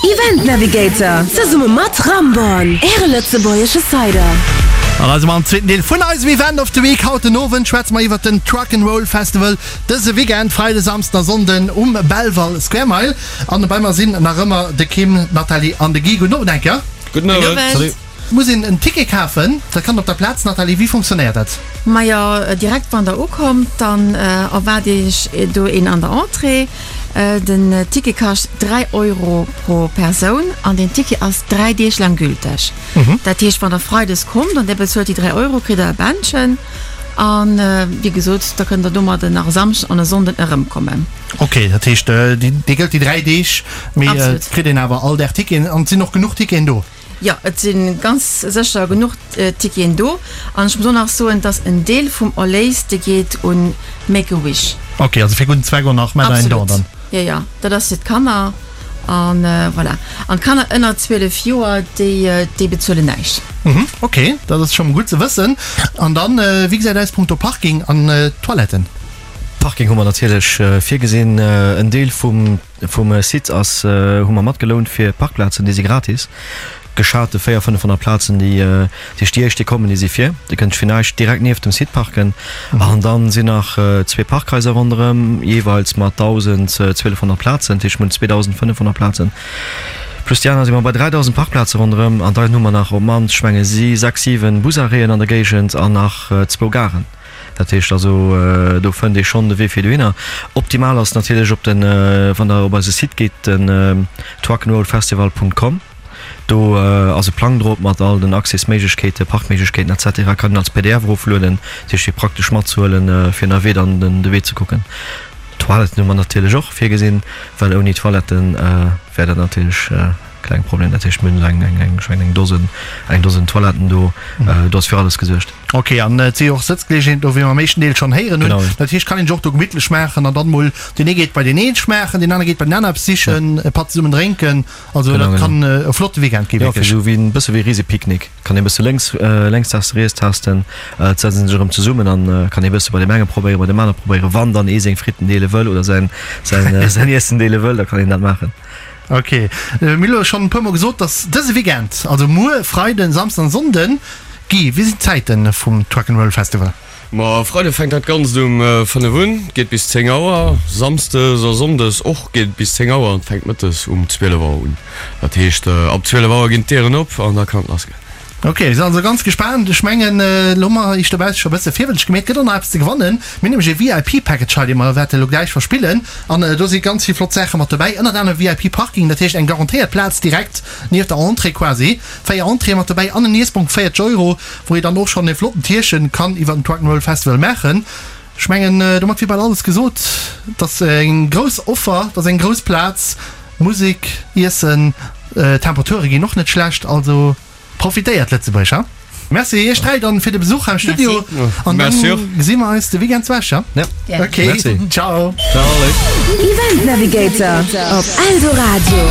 Event Navigator zesumme mat Ramborn, Äre lëtzebuergesche Cider. An eisem am zweeten Deel vun eisem Event of the Week haut den Owend schwätze mer iwwert den Truck 'n' Roll Festival dëse Weekend, Freide, Samsden a Sonnden um Belval Square Mile. An bei mer sinn nach ëmmer de Kim, d'Nathalie an de Guy. Gudden Owend eng Kéier. Gudden Owend. Salut. Muss een en Ticket kafen? Dat kann op der Plaz. Nathalie, wéi funktionéiert dat? Majo, direkt wann der ukommt, dann erwaart iech do een an der Entrée. Den Ticket kascht 3 Euro pro Persoun an den Ticket ass 3 Deeg laang gülteg. Dat heescht, wann der Freides kommt an der bezuelt déi 3 Euro, kritt der e Bändchen an wéi gesot, da kënnt der domadden nach e Samschden an e Sonnden erëmkommen. Ok, dat heescht, dee gëllt déi 3 Deeg, mee et kritt een awer all Dag Ticketen an et sinn och genuch Ticketen do? Jo, et si ganz sécher genuch Ticketen do. An ech muss och nach soen, dass en Deel vum Erléis, dee geet un Make a Wish. Ok, also fir gudden Zweck och nach, maacht der en Don dann? Absolut, jo, jo, dat ass fir d'Kanner. A voilà. An d'Kanner ënner 12 Joer, déi, déi bezuelen näischt. Mhm, ok, dat ass scho mol gutt ze wëssen. An dann, wéi gesäit aus punkto Parking an Toiletten? Parking hu mer natierlech virgesinn. En Deel vum Vum Site ass hu mer matgelount fir Parkplazen, déi si gratis. Geschate 400, 500 Plazen, déi déi déi éischt déi kommen, déi si fir. Dir kënnt fir näischt direkt nieft dem Site parken. An dann sinn nach zwee Parkhaiser ronderëm, jeeweils mat 1.000, 1.200 Plazen, dat heescht mir hunn 2.500 Plazen. Plus déi aner si mer bei 3.000 Parkplaze ronderëm. An dann hu mer nach op d'mannst, ech menge si sechs, siwen Busarrêten an der Géigend an nach zwou Garen. Dat heescht also, do fënnt ee schonn de Wee fir dohinner. Optimal ass natierlech op den, wann der op eise Site geet, den trucknrollfestival.com. Do ass e Plang drop mat all den Accès-Méiglechkeeten, Parkméiglechkeeten et cetera. Kann een als pdf eroflueden. Dat heescht fir praktesch matzehuelen, fir ënnerwee dann de Wee ze kucken. Toiletten hu mer natierlech och virgesinn, well ouni Toiletten wär dat natierlech. Kleng Problem, dat heescht mir hunn eng, eng, ech mengen eng Dosen, eng Dosen Toiletten do, do ass fir alles gesuergt. Ok, an et si jo och Sëtzgeleegenheeten do, wéi mer am éischten Deel schonn héieren hunn. Dat heescht, kann een sech och do gemittlech maachen an dann mol, deen ee geet bei deen een schmaachen, deen anere geet bei den aner eppes sichen, e Patt zesummen drénken. Also dat kann e flotte Weekend gi wierklech. Jo, fir esou wéi e bësse wéi e Risepicknick, kann ee bësse lénks, lénks testen, riets testen, et setze sech erëm zesummen an kann ee bësse bei deem enge probéieren, bei deem anere probéieren. Wann dann ee seng Fritten deele wëll oder säin, säin, säin Iessen deele wëll, da kann een dat maachen. Ok, mir hu lo schonn e puer mol gesot, dass dëse Weekend, also muer Freiden, Samsden an Sonnden, Guy, wéi sinn d'Zäiten vum Truck'n'Roll Festival? Ma Freide fänkt dat Ganzt um 5 un, geet bis 10 Auer. Samsdes a Sonndes och geet et bis 10 Auer an fänkt mëttes um 12 Auer un. Dat heescht ab 12 Auer ginn d'Dieren op an da kann et lass goen. Ok, mir sinn also ganz gespaant. Ech mengen, elo hu mer iech dobausse scho e bësse virwëtzeg gemeet. Et gëtt och nach eppes ze gewannen. Mir hunn nämlech e VIP-Package hei, dee mer wäerte elo gläich verspillen. An do si ganz vill flott Saache mat dobäi, ënnert anerem VIP-Parking, dat heescht eng garantéiert Plaz direkt nieft der Entrée quasi, 4 Entréeë mat dobäi an en Iessbong, 40 Euro, wou ee dann och schonn e flotten Tierchen kann iwwer den Truck'n'Roll Festival maachen. Ech mengen, domat wier bal alles gesot. Et ass eng grouss Offer, et ass eng grouss Plaz, Musek, Iessen, Temperature ginn och net schlecht, also profitéiert Lëtzebuerg, ha? Merci iech 3 dann fir de Besuch am Studio an dann gesi mer eis de Weekend zu Esch, ha? Ok, ciao. Event Navigator op Eldoradio.